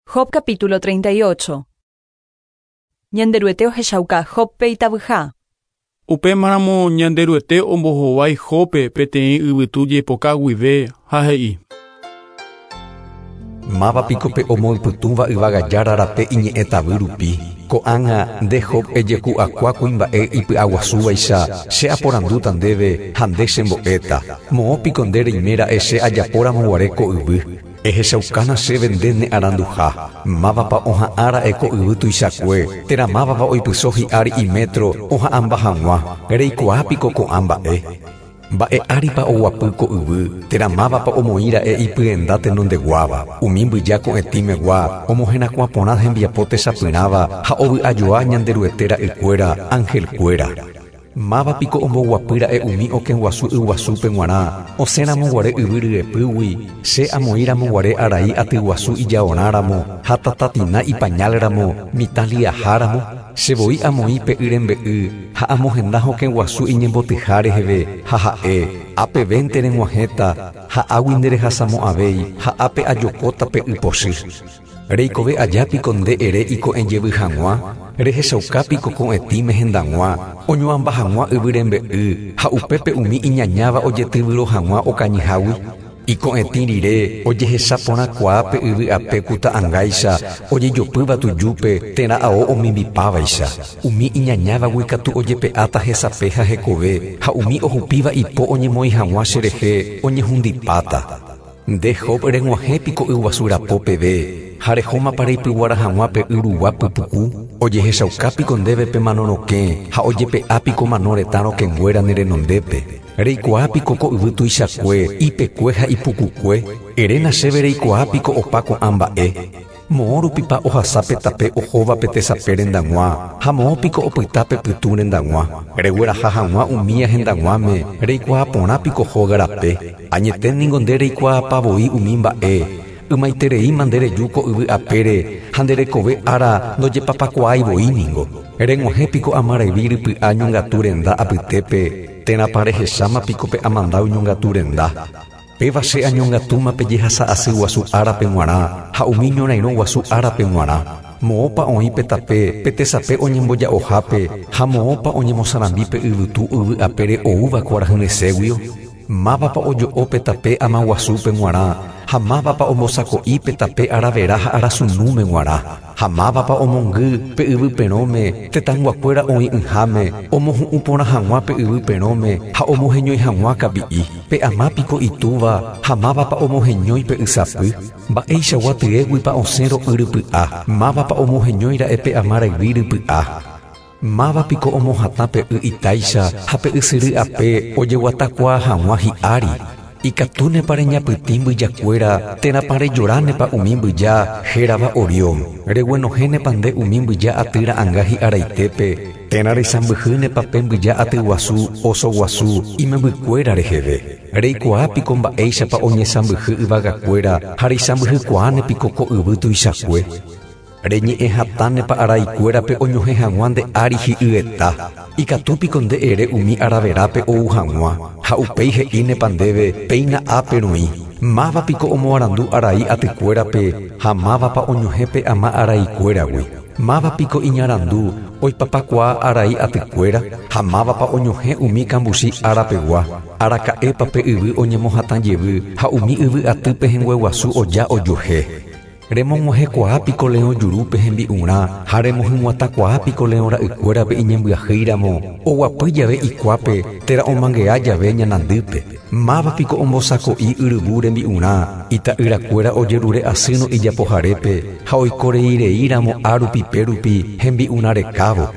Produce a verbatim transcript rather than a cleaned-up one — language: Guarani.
Job capítulo treinta y ocho. Ñanderuete ohechauka Jóbpe itavyha. Upémaramo Ñanderuete ombohovái Jóbpe peteĩ yvytu jepoka guive ha he'i: Máva piko pe omoypytũva yvága Jára rape iñe'ẽ tavy rupi? Ko'ág̃a nde Job ejeku'akua kuimba'e ipy'aguasúvaicha, che aporandúta ndéve ha nde chembo'éta. Moõ piko nde reiméra'e che ajapóramoguare ko yvy? Ehechaukána chéve nde ne aranduha. Mávapa oha'ãra'e ko yvy tuichakue, térã mávapa oipyso hi'ári imetro oha'ãmba hag̃ua? Reikuaa piko ko'ã mba'e? Mba'e áripa oguapy ko yvy, térã mávapa omoĩra'e ipyenda tenondeguáva? Umi mbyja ko'ẽtĩmegua omoherakuã porã hembiapo techapyrãva ha ovy'ajoa Ñanderuete ra'ykuéra, angelkuéra. Máva piko omboguapýra'e umi okẽguasu yguasúpe g̃uarã, osẽramoguare yvy ryepýgui, che amoĩramoguare arai atyguasu ijaorãramo ha tatatina ipañalramo, mitã liaháramo? Che voi amoĩ pe y rembe'y ha amohenda hokẽguasu iñembotyha reheve ha ha'e: Ápevente reg̃uahẽta ha águi nderehasamo'ãvéi ha ápe ajokóta pe y pochy. Reikove aja piko nde ere iko'ẽjevy hag̃ua? Rehechauka piko ko'ẽtĩme hendag̃ua, oñuamba hag̃ua yvy rembe'y ha upépe umi iñañáva ojetyvyro hag̃ua okañyhágui? Iko'ẽtĩ rire ojehechaporãkuaa pe yvy ape ku ta'ãngáicha ojejopýva tujúpe térã ao omimbipávaicha. Umi iñañávagui katu ojepe'áta hesape ha hekove ha umi ohupíva ipo oñemoĩ hag̃ua cherehe oñehundipáta. Nde Job reg̃uahẽpiko yguasu rapo peve ha rehómapa reipyguara hag̃ua pe y rugua pypuku? Ojehechaukapiko ndéve pe mano rokẽ ha ojepe'ápiko mano retã rokẽnguéra ne renondépe? Reikuaápiko ko yvy tuichakue, ipekue ha ipukukue? Eréna chéve reikuaápiko opa ko'ã mba'e? Moõ rupipa ohasa pe tape ohóva pe tesape rendag̃ua ha moõ piko opyta pe pytũ rendag̃ua? Regueraha hag̃ua umía hendag̃uáme, reikuaa porã piko hóga rape? Añete ningo nde reikuaapavoi umi mba'e. Ymaitereíma nde reju ko yvy apére ha nde rekove ára ndojepapakuaáivoi ningo. Reg̃uahẽpiko amarayvi rypy'a ñongatu renda apytépe, térãpa rehechámapiko pe amandáu ñongatu renda? Péva che añongatúma pe jehasa asy guasu árape g̃uarã ha umi ñorairõ guasu árape g̃uarã. Moõpa oĩ pe tape pe tesape oñemboja'ohápe ha moõpa oñemosarambi pe yvytu yvy apére oúva kuarahyresẽguio? Mávapa ojo'o pe tape amaguasúpe g̃uarã ha mávapa ombosako'i pe tape aravera ha arasunúme g̃uarã? Ha mávapa omongy pe yvy perõme tetãyguakuéra oĩ'ỹháme, omohu'ũ porã hag̃ua pe yvy perõme ha omoheñói hag̃ua kapi'i? Pe ama piko itúva ha mávapa omoheñói pe ysapy? Mba'eichagua tyéguipa osẽ ro'y rypy'a? Mávapa omoheñóira'e pe ama rayvi rypy'a? Máva piko omohatã pe y itáicha ha pe ysyry ape ojeguatakuaa hag̃ua hi'ári? Ikatúnepa reñapytĩ mbyjakuéra térãpa rejoránepa umi mbyja hérava Orión? Reguenohẽnepa nde umi mbyja aty ra'ãnga hi'araitépe térã reisãmbyhýnepa pe mbyja aty guasu oso guasu imembykuéra reheve? Reikuaápiko mba'éichapa oñesãmbyhy yvagakuéra ha reisãmbyhykuaánepiko ko yvy tuichakue? Reñe'ẽ hatãnepa araikuérape oñohẽ hag̃ua nde ári hi'yeta? Ikatúpiko nde ere umi araverápe ou hag̃ua ha upéi he'ínepa ndéve: Péina ápe roĩ? Máva piko omoarandu arai atykuérape ha mávapa oñohẽ pe ama araikuéragui? Máva piko iñarandu oipapakuaa arai atykuéra ha mávapa oñohẽ umi kambuchi arapegua? Araka'épa pe yvy oñemohatãjevy ha umi yvy aty pehẽngue guasu oja ojuehe? Remog̃uahẽkuaápiko leõ jurúpe hembi'urã ha remohyg̃uatãkuaápiko leõ ra'ykuérape iñembyahýiramo, oguapy jave ikuápe térã omangea jave ñanandýpe? Máva piko ombosako'i yryvu rembi'urã, ita'yrakuéra ojerure asýrõ ijapoharépe ha oikoreireíramo árupi pérupi hembi'urã rekávo?